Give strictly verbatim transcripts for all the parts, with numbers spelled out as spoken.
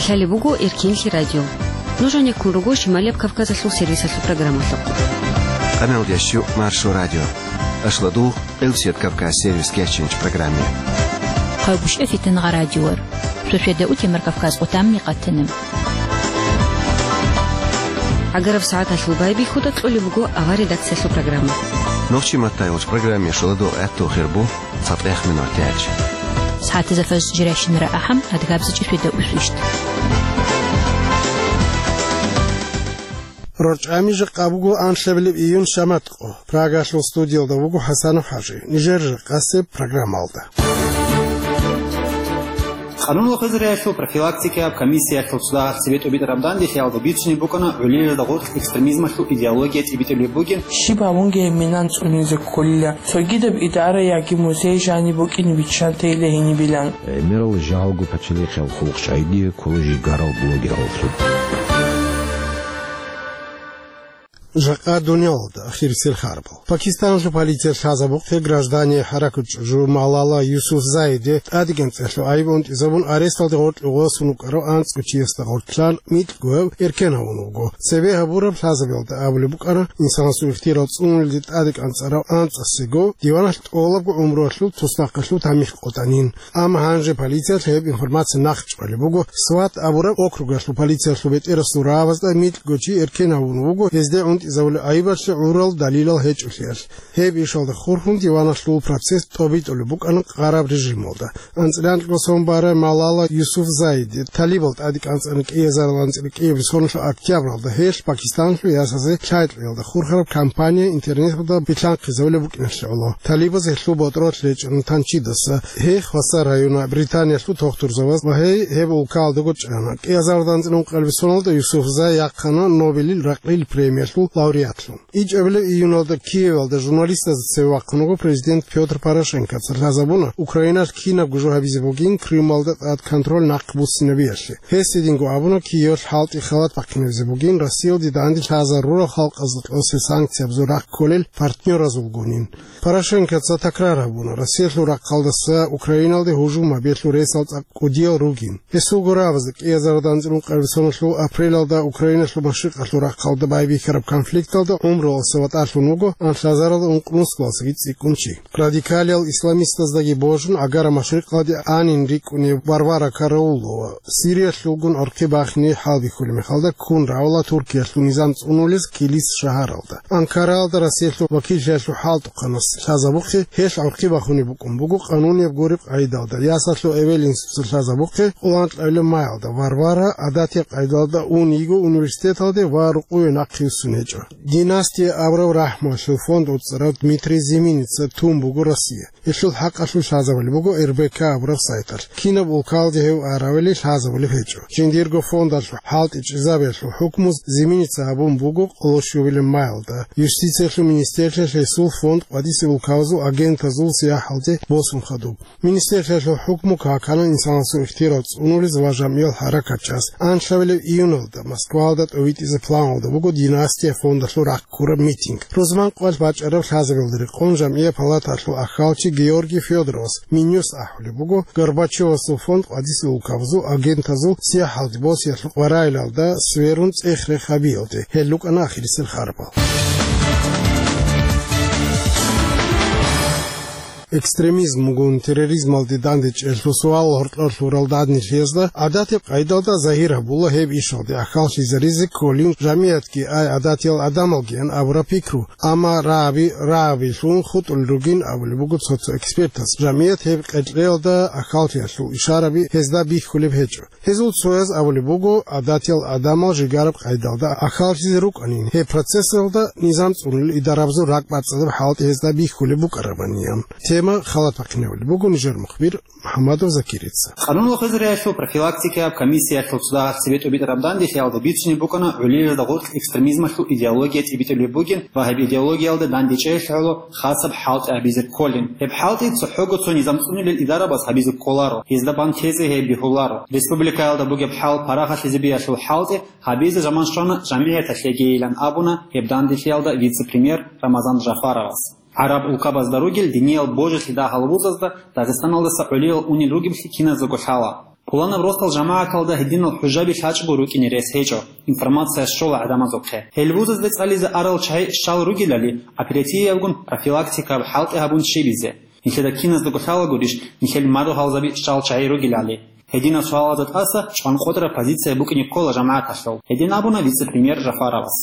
Лъалеб буго Эркенлъи радио. Нуж гьанеккун руго Шималияб Кавказалъул сервисалъул программалъухъ. Къаналдеш щу Маршо радио. Ашладу Элсет Кавказ сервис кечинч программе. Хъайбуш эфитан гъа радиор. Шошведа утемар Кавказ къутамни къатана. Агараб сагӀаталъул байбихьуда кьолеб буго авар редакциялъул программа. Нохчи маттайулч программе шуладу гӀатту хирбу. ЦатӀех минутач. СагӀатазда фаз жиращинара ахӀам, адгабза чӀишвида усвищт. РорчӀами жакъа буго анлъабилеб июн шаматкъо. Прагалъул студиялда вуго ХӀасанов ХӀажи. Нижер жакъасеб программалда. Къануналъул хвезариялъул профилактикаяб комиссиялъул цо дагьаб цебетӀ битӀараб данделъиялда бицунеб букӀана гӀолилалда гъоркь экстремизмалъул идеология цӀибитӀулеб бугин. Щиб гьабунги гьеб минан цӀунизе кколила. Цогидаб идара яги музей жаниб букӀине биччан тейила гьенибилан. ГӀемерал жагьалго пачалихъиял хъулухъчӀайги ккола жигарал блогераллъун. Жакъа дуниялалда ахирисел харбал. Пакистанлъул полиция лъазабухъе граждане хӀаракат чӀужу Малала Юсуфзаиде тӀадегӀанцӀалъул гӀайиб унтӀизабун аресталде гъоркье гъосун вукӀарав анцӀго чиясда гъоркьлъан микьгояв эркен гьавун вуго. Цебе гьабураб лъазабиялда абулеб букӀана, инсанасул ихтияр цӀунулелде тӀадекӀанцӀарав анцӀасего диваналъ тӀолабго гӀумруялъул туснахъалъув тамихӀ къотӀанин. Амма гьанже полициялъ гьеб информация нахъчӀвалеб буго, СВАТ абураб округалъул полициялъул бетӀерасул рагӀабазда микьго чи эркен гьавун вуго, гьезде унтӀизабулеб гӀайибалъе гӀурал далилал гьечӀолъиялъ. Гьеб ишалда хурхун диваналъул процесс тӀобитӀулеб букӀана къараб режималда. АнцӀила анкьго сон барай Малала Юсуфзаиде талибал тӀадекӀанцӀана кӀиазарилан анцӀила кӀиабилеб соналъул октябралда, гьелъ Пакистанлъул ясазе лъайкьиялда хурхараб кампания интернеталда билълъанхъизабулеб букӀиналъе гӀоло. Талибаз гьелъул ботӀролъ гьечӀони танчидаса, гьей Хваса района британиялъул тухтурзабаз ва гьей гьеб улкаялдаго чӀана. КӀиазарилан анцӀила ункъабилеб соналда Юсуфзай яхъана Нобелил ракьил премиялъул лауреатлъун. ИчӀабилеб июналда Киевалда журналистазда цеве вахъун вуго президент Пётр Порошенкоца. Лъазабуна Украиналъ кинабго жо гьабизе бугин Крымалда тӀад контроль нахъ буссинабиялъе. Гьес гьединго абуна, Киевалъ хӀалтӀи халат бахъинабизе бугин Россиялде данде лъазарурал халкъазда кьосел санкциябазул рахъ кколел партнёразулгунин. Порошенкоца такрар гьабуна, Россиялъул рахъалдаса Украиналде гьужум гьабиялъул ресал цӀакъ кӀудиял ругин. Гьесул гурабазе кӀиазарилан анцӀила ункъабилеб соналъул апрелалда Украиналъул машрикъалъул рахъалда байбихьараб конфликталда гӀумруялдаса ватӀалъун вуго анлъазарилан ункънусгалдасаги цӀикӀкӀун чи. Радикалиял исламистаздаги божун, Агара машрикъалде анин рикӀкӀунев Варвара Караулова Сириялъулгун гӀорхъи бахине хӀалбихьулеб мехалда ккун равала Туркиялъул низам цӀунулез Килис шагьаралда. Анкараялда Россиялъул вакиллъиялъул хӀалтӀухъанас лъазабухъе гьелъ гӀорхъи бахунеб букӀун буго къанунияб гуреб къагӀидалда. Ясалъул эвел институталъ лъазабухъе къоло анкьабилеб майалда Варвара гӀадатияб къагӀидалда ун йиго университеталде ва рукъове нахъе вуссун гьечӀо. Династия абураб рахӀмуялъул фонд уцӀцӀарав Дмитрий Зиминица тун буго Россия. Гьелъул хӀакъалъулъ лъазабулеб буго РБК абураб сайталъ. Кинаб улкалде гьев аравили лъазабулеб гьечӀо. Жиндирго фондалъул хӀалтӀичӀезабиялъул хӀукму Зиминица гьабун буго къоло щуабилеб майалда. Юстициялъул министрлъиялъ гьесул фонд къватӀибесеб улкабазул агентазул сияхӀалде босун хадуб. Министрлъиялъул хӀукму какана инсанасул ихтияр цӀунулез ва жамгӀиял хӀаракатчияс. Анлъабилеб июналда Москваялда тӀовитӀизе планалда буго Династия фондалъул рахъ ккураб митинг. Рузман къоялъ бачӀараб лъазабиялда рекъон жамгӀияб палаталъул ахьалчи Георгий Федоровас Минюс ахӀулеб буго Горбачевасул фонд къватӀибесеб улкабазул агентазул сияхӀалде босиялъул къваригӀелалда сверун цӀех-рех гьабиялде. Гьел рукӀана ахирисел харбал. Экстремизмгун терроризмалде дандечӀелъул суал гьоркьор лъурал данделъиязда гӀадатаб къайдалда загьир гьабула гьеб ишалде ахьаллъизаризе кколин жамигӀатги ай гӀадатиял гӀадамалгиян абураб пикру, амма рагӀаби рагӀабилъун хутӀулел ругин абулеб буго цо-цо экспертаз. ЖамигӀат гьеб къеркьеялда ахьаллъиялъул ишараби гьезда бихьулеб гьечӀо. Гьезул цояз абулеб буго, гӀадатиял гӀадамал жигараб къайдалда ахьаллъизе рукӀанин, гьеб процессалда низам цӀунулел идарабазул ракӀбацӀцӀадаб хӀалтӀи гьезда бихьулеб букӀарабани. Тема халат бахъинабулеб буго нижер мухбир МухӀаммадов Закирица. Къануналъул хвезариялъул профилактикаяб комиссиялъул цо дагьаб цебетӀ битӀараб данделъиялда бицунеб букӀана гӀолилалда гъоркь экстремизмалъул идеология цӀибитӀулеб бугин ва гьеб идеологиялда дандечӀелъ гӀоло хасаб хӀалтӀи гьабизе кколин. Гьеб хӀалтӀи цохӀого цо низам цӀунулел идарабаз гьабизе кколаро, гьезда бан тезе гьеб бегьуларо. Республикаялда бугеб хӀал парахалъизабиялъул хӀалтӀи гьабизе заман щвана жамигӀаталъегийилан абуна гьеб данделъиялда вице-премьер Рамазан Жафаровас. ГӀараб улкабазда ругел диниял божилъи дагьал вузазда Дагъистаналдаса гӀолилал унел ругеблъи киназдаго лъала. Пуланаб росдал жамагӀаталда гьединал хӀужаби лъачӀого рукӀине рес гьечӀо, информация щола гӀадамазухъе. Гьел вузазде цӀализе арал чагӀи щал ругелали, оперативиябгун профилактикаб хӀалтӀи гьабун щибизе. Нилъеда киназдаго лъалагурищ, нилъел мару гьалзаби щал чагӀи ругелали? Гьединаб суалазда тӀаса чӀванкъотӀараб позиция букӀине ккола жамагӀаталъул, гьедин абуна вице-премьер Жафаровас.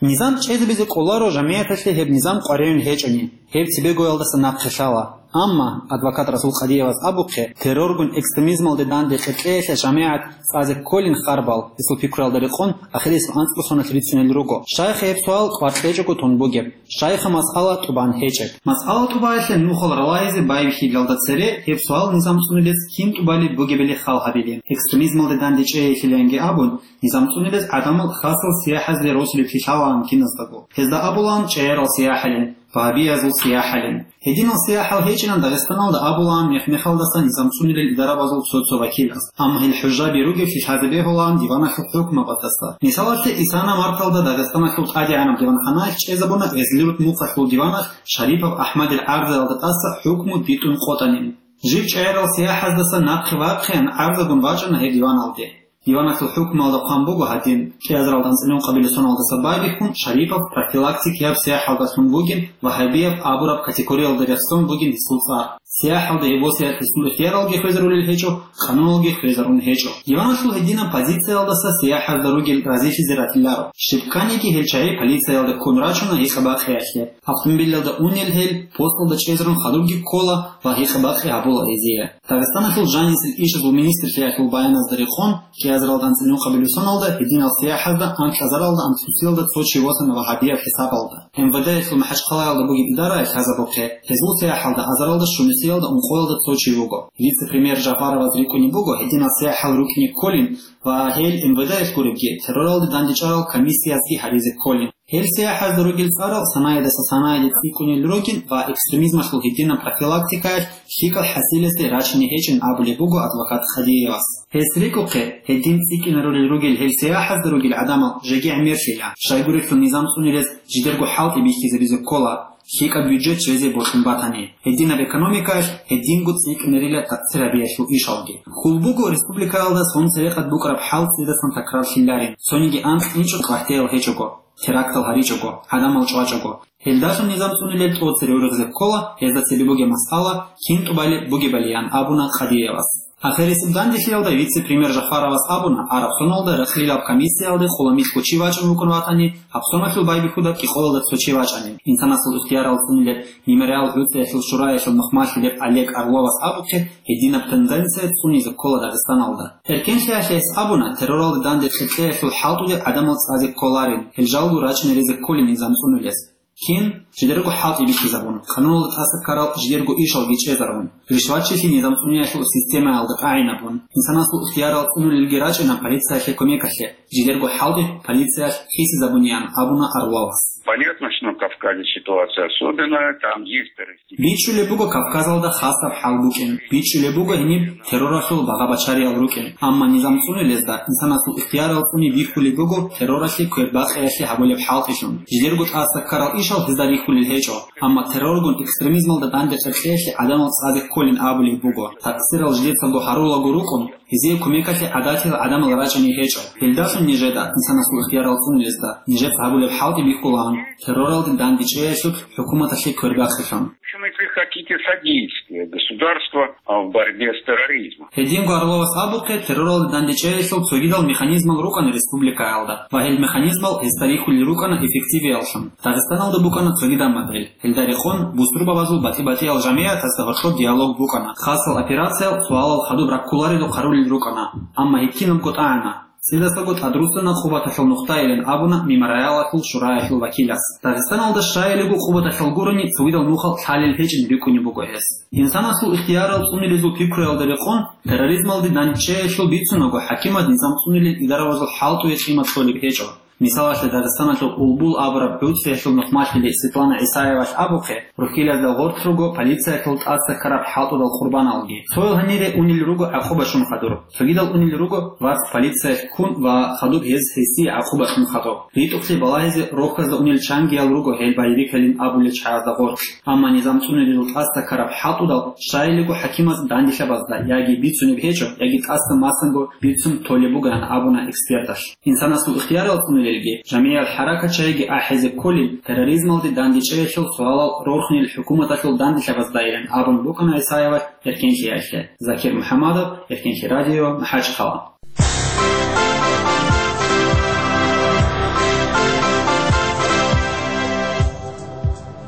Низам чӀезабизе кӀоларо жамигӀаталъе гьеб низам къваригӀун гьечӀони, гьеб цебегоялдаса нахъе лъала. Амма, адвокат Расул Къадиевас абухъе, терроргун экстремизмалде данде кьекьеялъе жамигӀат цӀазе кколин харбал, гьесул пикруялда рекъон, ахирисеб анцӀго соналъ рицунел руго. Щайха гьеб суал кӀвар кьечӀого тун бугеб? Щайха масъала тӀубан гьечӀеб? Масъала тӀубаялъе нухал ралагьизе байбихьилалда цере гьеб суал низам цӀунилес кин тӀубали бугебали хал гьабилин. Экстремизмалде данде чӀейилъиланги абун, низам цӀунилес гӀадамал хасал сияхӀазде росулеб лъалаан киназдаго. Гьезда абулаан чӀегӀерал сияхӀалин, вагьабиязул сияхӀалин. Гьединал сияхӀал гьечӀилан Дагъистаналда абулаан мех-мехалдаса низам цӀунилел идарабазул цо-цо вакилас. Амма гьел хӀужаби ругеблъи лъазе бегьулаан диваналъул хӀукмабаздаса. Мисалалъе, исана марталда Дагъистаналъул тӀадегӀанаб диванханаялъ чӀезабуна Гъезлирут мухъалъул диванах Шарипов АхӀмадил гӀарзаялда тӀаса хӀукму битӀун къотӀанин. Жиб чӀегӀерал сияхӀаздаса нахъе вахъеян гӀарзагун вачӀана гьеб диваналде. Диваналъул хӀукмуялда хъван буго гьадин: кӀиазаралда анцӀила ункъабилеб соналдаса байбихьун Шарипов профилактикияб сияхӀалдалъун вугин, вагьабияб абураб категориялда рехсон бугин гьесул цӀар. СияхӀалда гьеб босиялъ гьесул ихтияралги хвезарулел гьечӀо, къануналги хвезарун гьечӀо. Диваналъул гьединаб позициялдаса сияхӀазда ругел разилъизе ратиларо. Щибканиги гьел чагӀи полициялда ккун рачуна гьикъа-бакъиялъе. Автомобилалда унел гьел, посталда чӀезарун хадубги ккола ва гьикъа-бакъи гьабула гьезие. Дагъистаналъул жанисел ишазул министрлъиялъул баяназда рекъон, кӀиазаралда анцӀила ункъабилеб соналда гьединал сияхӀазда анкьазаралда анцӀусиялда цо чи восана вагьабияб хӀисабалда. МВД-ялъул МахӀачхъалаялда бугеб идараялъ лъазабухъе, гьезул сияхӀалда азаралда щунусиялда ункъоялда цо чи вуго. Вице-премьер Жафароваз рикӀкӀунеб буго гьединал сияхӀал рукӀине кколин ва гьел МВД-ялъ гуребги, терроралде дандечӀарал комиссиязги гьаризе кколин. Гьел сияхӀазда ругел цӀарал санаядаса санаяде цӀикӀкӀунел ругин ва экстремизмалъул гьединаб профилактикаялъ лъикӀал хӀасиласде рачине гьечӀин абулеб буго адвокат Хадиевас. Гьес рикӀухъе, гьедин цӀикӀкӀинарулел ругел гьел сияхӀазда ругел гӀадамал жеги гӀемерлъила, щайгурелъул низам цӀунилез жидерго хӀалтӀи бихьизабизе ккола, лъикӀаб бюджет жезе бокьун батани, гьединаб экономикаялъ гьединго цӀикӀкӀинарила такъсир гьабиялъул ишалги. Хьул буго республикаялда цо церекъад букӀараб хӀал цӀидасан такрарлъиларин, цониги анкь инчӀо квартирал гьечӀого, терактал гьаричӀого, гӀадамал чӀвачӀого. Гьелдалъун низам цӀунилел тӀоцере ургъизе ккола, гьезда цебе бугеб масъала кин тӀубали бугебалиян абуна Къадиевас. Ахирисеб данделъиялда вице-премьер Жафаровас абуна, араб соналда рахъалилаб комиссиялде хъуламилъго чи вачӀун вукӀун ватани, гьаб соналъул байбихьуда кӀикъоялда цо чи вачӀанин. Инсанасул ихтиярал цӀунилеб Мемориал гӀуцӀиялъул шураялъул мухъмалъилеб Олег Орловас абухъе, гьединаб тенденция цӀунизе ккола Дагъистаналда. Эркенлъиялъ гьес абуна, терроралда данде кьекьеялъул хӀалтӀулел гӀадамал цӀазе кколарин, гьел жалго рачӀине резе кколин низам цӀунилез. Кин, жидерго хӀалтӀи бихьизабун, къануналда тӀаса ккарал жидерго ишалги чӀезарун, ришватчилъи низам цӀуниялъул системаялда тӀагӀинабун, инсанасул ихтиярал цӀунулелги рачӀина полициялъе кумекалъе, жидерго хӀалтӀи полициялъ хисизабуниян абуна Орловас. Понятно, что на Кавказе ситуация особенная, там есть террористические. БичӀчӀулеб буго Кавказалда хасаб хӀал букӀин. БичӀчӀулеб буго гьениб терроралъул багъа-бачариял рукӀин. Амма низам цӀунилезда, инсанасул ихтиярал цӀуни бихьулеб буго терроралъе квербакъиялъе гьабулеб хӀалтӀилъун. Жидерго тӀаса ккарал ишал гьезда рихьулел гьечӀо. Амма терроргун экстремизмалда данде кьекьеялъе гӀадамал цӀазе кколин абулеб буго. Такъсирал жидецаго гьарулаго рукӀун, гьезие кумекалъе гӀадатил гӀадамал рачӀине гьечӀо. Гьелдалъун нижеда, инсанасул ихтиярал цӀунилезда, нижеца гьабулеб хӀалтӀи бихьулаан, терроралде дандечӀеялъул хӀукуматалъе квербахъилъун. В общем, если хотите, содействие государства, а, в борьбе с терроризмом. Гьединго Орловас абухъе, терроралде дандечӀеялъул цогидал механизмал рукӀана республикаялда, ва гьел механизмал гьесда рихьулел рукӀана эффективияллъун. Дагъистаналда букӀана цогидаб модель. Гьелда рекъон бусурбабазул батӀи-батӀиял жамигӀатазда гьоркьоб диалог букӀана. Хасал операциял, суалал хадуб раккуларелухъ гьарулел рукӀана, амма гьеб кинабго тӀагӀана. ЦӀидасаго тӀадруссана къубаталъул нухтайилан абуна Мемориалалъул шураялъул вакилас. Дагъистаналда щайилего къубаталъал гурони цогидал нухал лъалел гьечӀин рикӀкӀунеб буго гьес. Инсанасул ихтиярал цӀунилезул пикруялда рекъон, терроризмалде дандчеялъул бицунаго хӀакимад низам цӀунилел идаравазул хӀалтӀуе къимат кьолеб гьечӀо. Мисалалъе, Дагъистаналъул Улбул абураб гӀуцӀиялъул нухмалъули Светлана ГӀисаевалъ абухъе, рухьилазда гъоркь руго полициялъул тӀаса ккараб хӀалтӀудал къурбаналги. Цоял гьанире унел руго гӀакъуба щун хадур, цогидал унел руго вац полициялъ ккун ва хадуб гьез гьесие гӀакъуба щун хадуб. РитӀухълъи балагьизе рохьазда унел чангиял руго гьел боевикалин абулел чагӀазда гъоркь. Амма низам цӀунедул тӀаса ккараб хӀалтӀудал щайилиго хӀакимаз данделъабазда яги бицунеб гьечӀо, яги тӀаса масанго бицун толеб бугоян абуна эксперталъ. Инсанасул ихтиярал цӀунулелги, жамигӀиял хӀаракатчагӀиги ахӀизе кколин, терроризмалде дандечӀеялъул суалал рорхунел хӀукуматалъул данделъабаздайилан абун букӀана ГӀисаевалъ эркенлъиялъе. Закир МухӀаммадов, Эркенлъи радио, МахӀачхъала.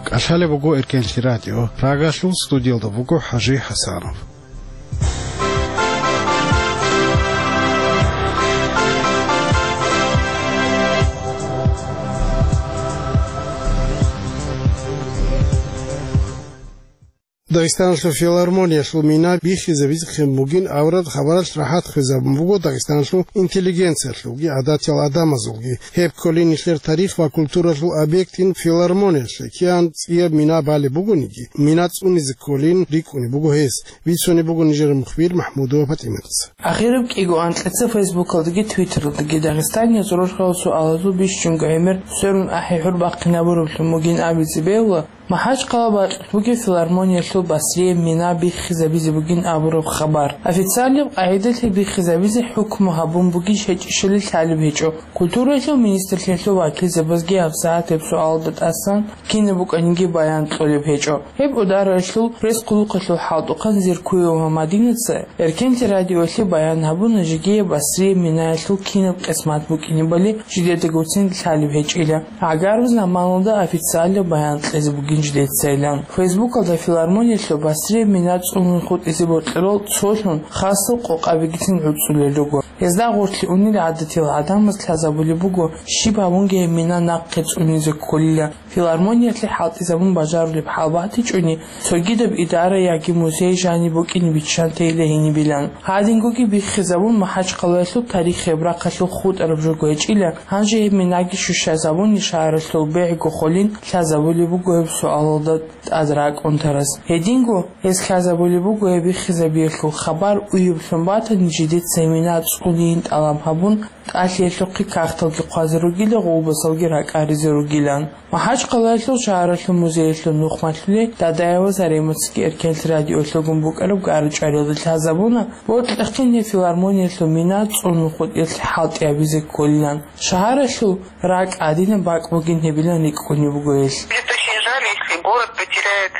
КӀалъалеб буго Эркенлъи радио. Прагалъул студиялда буго ХӀажи ХӀасанов. Дагъистаналъул филармониялъул мина биххизабизехъин бугин аврад хабаралъ рахӀат хвезабун буго Дагъистаналъул интеллигенциялъулги гӀадатиял гӀадамазулги. Гьеб кколин нилъер тарих ва культуралъул объектин филармониялъе кигӀан цӀияб мина балеб бугониги, мина цӀунизе кколин рикӀкӀунеб буго гьес. Бицунеб буго нижер мухбир МахӀмудова ПатӀиматас. Ахираб кӀиго анкьица Фейсбукалдаги Твиттералдаги Дагъистанияз рорхал суалазул бищунго гӀемер сверун ахӀи-хӀур бахъинабураблъун бугин абизе бегьула, МахӀачхъала бакьулъ бугеб филармониялъул Басрияб мина биххизабизе бугин абураб хабар. Официалаб къагӀидалъе биххизабизе хӀукму гьабун бугищ-гьечӀищали лъалеб гьечӀо. Культураялъул министрлъиялъул вакилзабазги гьабсагӀат гьеб суалалда тӀасан кинаб букӀаниги баян кьолеб гьечӀо. Гьеб удараялъул пресс-хъулухъалъул хӀалтӀухъан Зиркуева Мадинаца Эркенлъи радиоялъе баян гьабуна жеги гьеб Басрияб минаялъул кинаб къисмат букӀинебали жидедагоцин лъалеб гьечӀила. ГӀагараб заманалда официалаб баян кьезе бугин жидецайилан. Фейсбукалда филармониялъул Басрияб мина цӀунун хутӀизе бокьарал цолъун хасал къокъабигицин гӀуцӀулел руго. Гьезда гъорлъе унел гӀадатиял гӀадамаз лъазабулеб буго, щиб гьабунги гьеб мина нахъе цӀунизе кколила. Филармониялъе хӀалтӀизабун бажарулеб хӀал батичӀони, цогидаб идара яги музей жаниб букӀине биччан тейила гьенибилан. Гьадингоги биххизабун, МахӀачхъалаялъул тарихияб рахъалъул хутӀараб жо гьечӀила, гьанже гьеб минаги щущазабуни шагьаралъул бегӀго холин лъазабулеб буго гьеб суалалда тӀад ракӀун тарас. Гьединго гьес лъазабулеб буго гьеб биххизабиялъул хабар уяблъун батани, жидеца мина цӀунейин тӀалаб гьабун, тӀалъиялъухъе кагъталги хъвазе ругила, гъолбасалги ракӀаризе ругилан. МахӀачхъалаялъул шагьаралъул музеялъул нухмалъулей Дадаева Заремацаги Эркенлъи радиоялъулгун букӀараб гара-чӀвариялда лъазабуна, бокьахъин гьеб филармониялъул мина цӀунун хутӀиялъе хӀалтӀи гьабизе кколилан. Шагьаралъул ракӀ гӀадинаб бакӀ бугин гьебилан рикӀкӀунеб буго гьелъ. Будет очень жаль, если город потеряет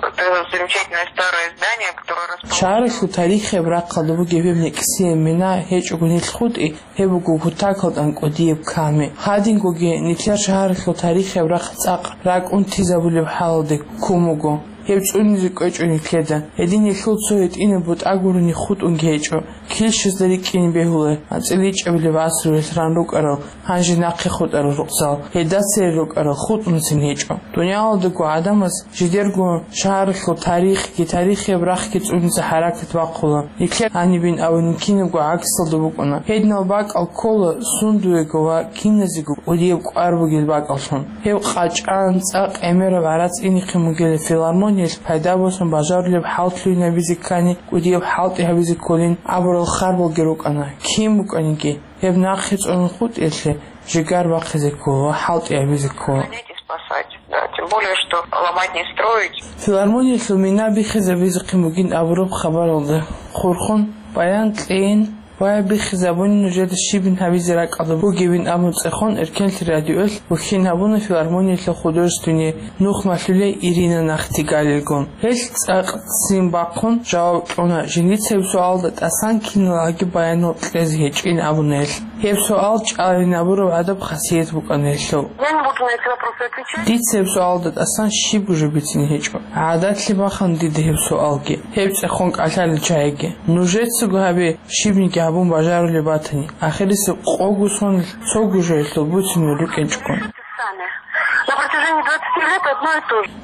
это замечательное старое здание, которое расположено... Шагьаралъул тарихияб рахъалда бугеб гьеб некӀсияб мина гьечӀого нилъ хутӀи, гьеб буго кутакалда кӀудияб ками. Гьадингоги нилъер шагьаралъул тарихияб рахъ цӀакъ ракӀун тизабулеб хӀалалде ккун буго. Гьеб цӀунизе кӀвечӀо нилъеда. Гьедин нилъул цо гьитӀинаб бутӀа гурони хутӀунги гьечӀо. Килщазда рикӀкӀине бегьула, анцӀила ичӀабилеб гӀасруялъ ран рукӀарал, гьанже нахъе хутӀарал рукъзал, гьелда цере рукӀарал хутӀунцин гьечӀо. Дуниялалдаго гӀадамаз жидерго шагьаралъул тарихги, тарихияб рахъги цӀунизе хӀаракат бахъула. Нилъер гьанибин абунин кинабго гӀаксалда букӀуна. Гьединал бакӀал ккола сундуего ва киназего кӀудияб кӀвар бугел бакӀаллъун. Гьеб къачӀан, цӀакъ гӀемераб гӀарац инихъе мугила филармониялъ пайда босун бажарулеб хӀал лъугьинабизе ккани, кӀудияб хӀалтӀи гьабизе кколин абурал харбалги рукӀана. Кин букӀаниги, гьеб нахъе цӀунун хутӀиялъе жигар бахъизе ккола ва хӀалтӀи гьабизе ккола. Хотите спасать? Да, тем более, что ломать не строить. Филармониялъул мина биххизабизехъин бугин абураб хабаралда хурхун, баян кьейин, ва биххизабуни нужеда щибин гьабизе ракӀалда бугебин абун цӀехун, Эркенлъи радиоялъ вухьин гьабуна филармониялъул художественный нухмалъулей Ирина Нахтигалилгун. Гьелъ цӀакъ ццин бахъун жаваб кьуна, жиндица гьеб суалда тӀасан киналги баянал кьезе гьечӀин абуна гьелъ. Гьеб суал чӀаларин абураб гӀадаб хасият букӀана гьелъул. Я не буду на эти вопросы отвечать. Дица гьеб суалда тӀасан щибго жо бицин гьечӀо. ГӀадатлъи бахъана дида гьеб суалги, гьеб цӀехун кӀалъалел чагӀиги. Нужецаго гьабе, щибниги гьабун бажарулеб батани, ахирисеб къого сонил цого жоялъул буцинел рукӀинчӀого. На протяжении двадцати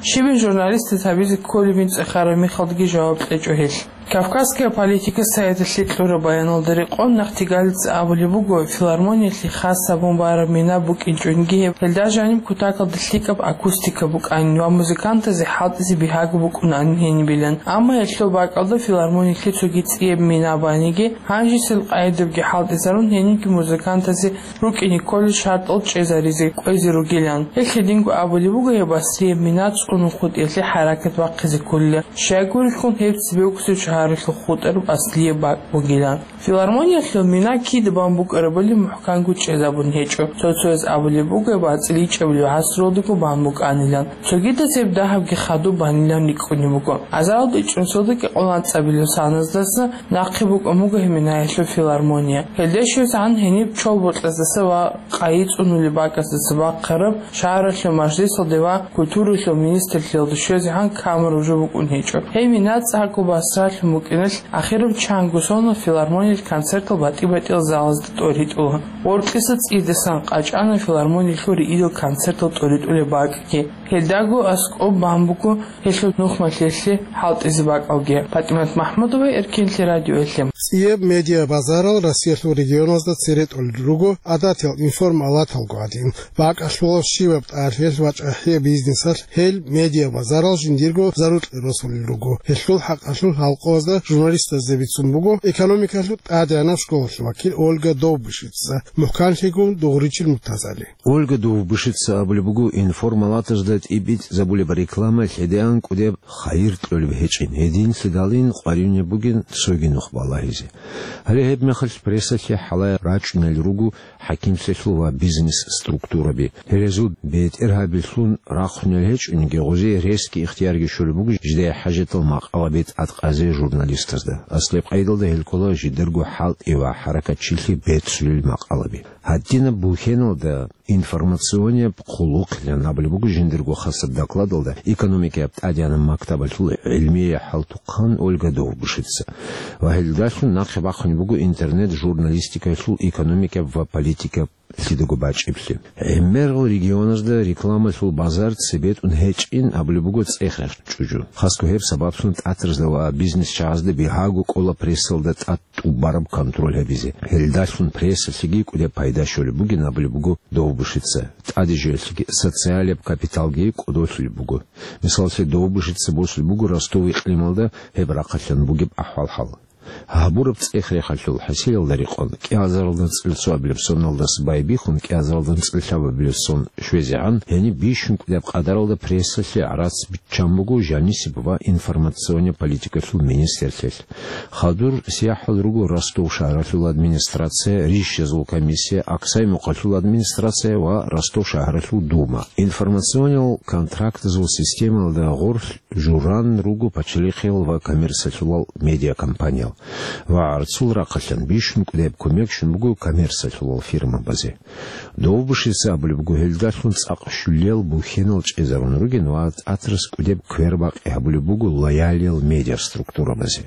Щибин журналистаз гьабизе кколебин цӀехараб мехалдаги жаваб кьечӀо гьелъ. «Кавказская политика» сайталъе кьураб баяналда рекъон Нахтигалица абулеб буго, филармониялъе хас гьабун бараб мина букӀинчӀониги гьеб, гьелда жаниб кутакалда лъикӀаб акустика букӀанин ва музыкантазе хӀалтӀизе бигьаго букӀунанин гьенибилан. Амма гьелъул бакӀалда филармониялъе цоги цӀияб мина баниги, гьанжесел къайдабги хӀалтӀизарун гьенибги музыкантазе рукӀине кколел шартӀал чӀезаризе кӀвезе ругилан. Гьелъ гьединго абулеб буго гьеб асрияб мина цӀунун хутӀиялъе хӀаракат бахъизе кколила, щайгурелъул гьеб цебе вукӀусеб шагьаралъул хутӀараб аслияб бакӀ бугилан. Филармониялъул мина кида бан букӀарабали мухӀканго чӀезабун гьечӀо. Цо-цояз абулеб буго гьеб ацӀиличӀабилеб гӀасралдаго бан букӀанилан. Цогидаз гьеб дагьабги хадуб банилан рикӀкӀунеб буго. Азаралда ичӀнусалда кӀикъоялда анцӀабилеб соназдаса нахъе букӀун буго гьеб минаялъул филармония. Гьелда щвезегӀан гьениб чолбокьаздаса ва къайи цӀунулеб бакӀаздаса бахъараб шагьаралъул мажлисалде ва культуралъул министрлъиялда щвезегӀан камера уже букӀун гьечӀо. Гьеб мина цӀакъго басралъун букӀиналъ, ахираб чанго соналъ филармониялъ концертал батӀи-батӀиял залазда тӀоритӀула. Гъоркьиса цӀидасан къачӀана филармониялъул риидал концертал тӀоритӀулеб бакӀги. Гьелдаго аскӀоб бан буго гьелъул нухмалъиялъе хӀалтӀизе бакӀалги. ПатӀимат МахӀмудова, Эркенлъи радиоялъе. ЦӀияб медиабазарал Россиялъул регионазда цере тӀолел руго гӀадатал информалаталго гӀадин. БакӀалъулал щибаб тӀалъиялъ ва чӀахӀияб бизнесалъ гьел медиабазарал жиндирго зарукье росулел руго. Гьелъул хӀакъалъулъ халкъазда журналистазда бицун буго экономикалъул тӀадегӀанаб школалъул вакил Ольга Довбышица, мухӀканлъигун дугӀричил Муртазали. Ольга Довбышица абулеб буго, информалатазда тӀибитӀизабулеб реклама лъедегӀан кӀудеб хайир кьолеб гьечӀин, гьединлъидалин къваригӀунеб бугин цоги нух балагьизе. Гьале гьебмехалъ прессалъе хӀалае рачӀунел руго хӀакимлъиялъул ва бизнес-структураби. Гьерезул бетӀергьабилъун рахъунел гьечӀониги, гъозие ресги ихтиярги щолеб буго жидее хӀажатал макъалаби тӀадкъазе журналистазда. Аслаб къайдалда гьел ккола жидерго хӀалтӀи ва хӀаракатчилъи бецулел макъалаби. Гьадинаб бухьеналда информационияб хъулухъилан абулеб буго жиндирго хасаб докладалда экономикаяб тӀадегӀанаб мактабалъул гӀилмияй хӀалтӀухъан Ольга Довбышица. Ва гьелдалъун нахъе бахъунеб буго интернет-журналистикалъул экономикаяб ва политикаяб лъидаго бачӀиблъи. ГӀемерал регионазда рекламалъул базар цебетӀун гьечӀин абулеб буго цӀех-рех чӀужу. Хасго гьеб сабаблъун тӀатразда ва бизнесчагӀазда бигьаго кӀола прессалда тӀад тӀубараб контроль гьабизе. Гьелдалъун прессалъеги кӀудеб пайда щолеб бугин абулеб буго Довбышица. ТӀаде жоялъеги социалияб капиталги кӀодолъулеб буго. Мисаллъе, Довбышица босулеб буго Ростов икълималда гьеб рахъалъан бугеб ахӀвал-хӀал. Гьабураб цӀех-рехалъул хӀасилалда рекъон, кӀиазаралда анцӀила цоабилеб соналдаса байбихьун кӀиазаралда анцӀила лъабабилеб сон щвезегӀан, гьениб бищун кӀудеб къадаралда прессалъе гӀарац биччан буго жанисеб ва информационный политикалъул министрлъиялъ. Хадур сияхӀал руго Ростов шагьаралъул администрация, рищазул комиссия, Аксай-Мукъалъул администрация ва Ростов шагьаралъул дума. Информациониял контрактазул системалда гъорлъ журан руго пачалихъиял ва коммерциялъулал медиакомпаниял. Ва гӀарцул рахъалъан бищун кӀудеб кумек щун буго коммерциялъулал фирмабазе. Довбышица абулеб буго, гьелдалъун цӀакъ щулиял бухьенал чӀезарун ругин ва тӀатразда кӀудеб квербакъи гьабулеб буго лоялиял медиаструктурабазе.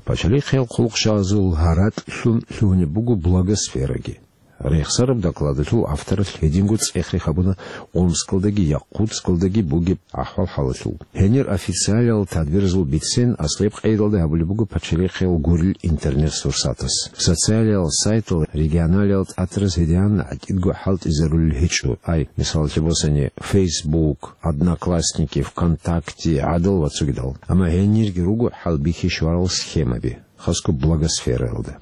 Пачалихъиял хъулухъчагӀазул гьаракьлъун лъугьунеб буго блогосфераги. Рехсараб докладалъул авторалъ гьединго цӀех-рех гьабуна Омскалдаги Якутскалдаги бугеб ахӀвал-хӀалалъул. Гьенир официалиял тадбиразул бицен аслаб къайдалда гьабулеб буго пачалихъиял гурил интернет-сурсатас. Социалиял сайтал регионалиял тӀатразда гьедигӀан гӀатӀидго хӀалтӀизарулел гьечӀо. Ай, мисаллъе босани, Facebook, Одноклассники, ВКонтакте, гӀадал ва цогидал. Амма гьенирги руго хӀалбихьи щварал схемаби, хасго блогосфераялда.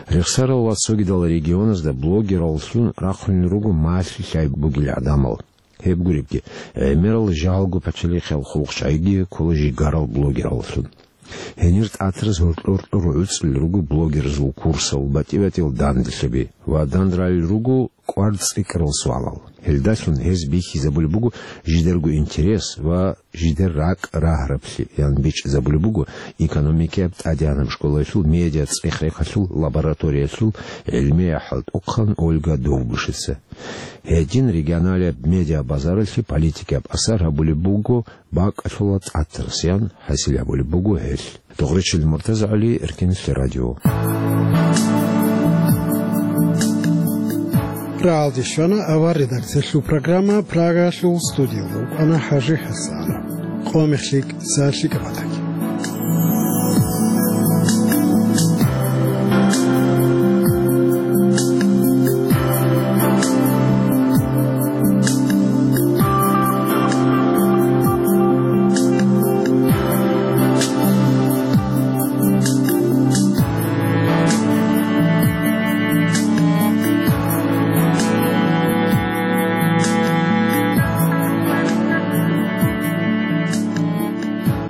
Рехсарал ва цогидал регионазда блогераллъун рахъунел руго малъи-лъай бугел гӀадамал. Гьеб гуребги, гӀемерал жалго пачалихъиял хъулухъчагӀиги ккола жигарал блогераллъун. Гьенир тӀатразда гьоркьор-гьоркьор гӀуцӀулел руго блогерзул курсал, батӀи-батӀиял данделъаби ва данде ралел руго кӀвар цӀикӀкӀарал суалал. Гьелдалъун гьез бихьизабулеб буго жидерго интерес ва жидер ракӀ рагьараблъи, ян бичӀчӀизабулеб буго экономикаяб тӀадегӀанаб школалъул медиа цӀех-рехалъул лабораториялъул гӀилмияй хӀалтӀухъан Ольга Довбышица. Гьедин регионалияб медиабазаралъе политикияб асар гьабулеб буго бакӀалъула тӀатразда, ян хӀасил гьабулеб буго гьелъ. Дугъричил МуртазагӀали, Эркенлъи радио. Рагьалде щвана авар редакциялъул программа, Прагалъул студиялда вукӀана ХӀажи ХӀасан. Къо мехлъи, са лъикӀаб батаги.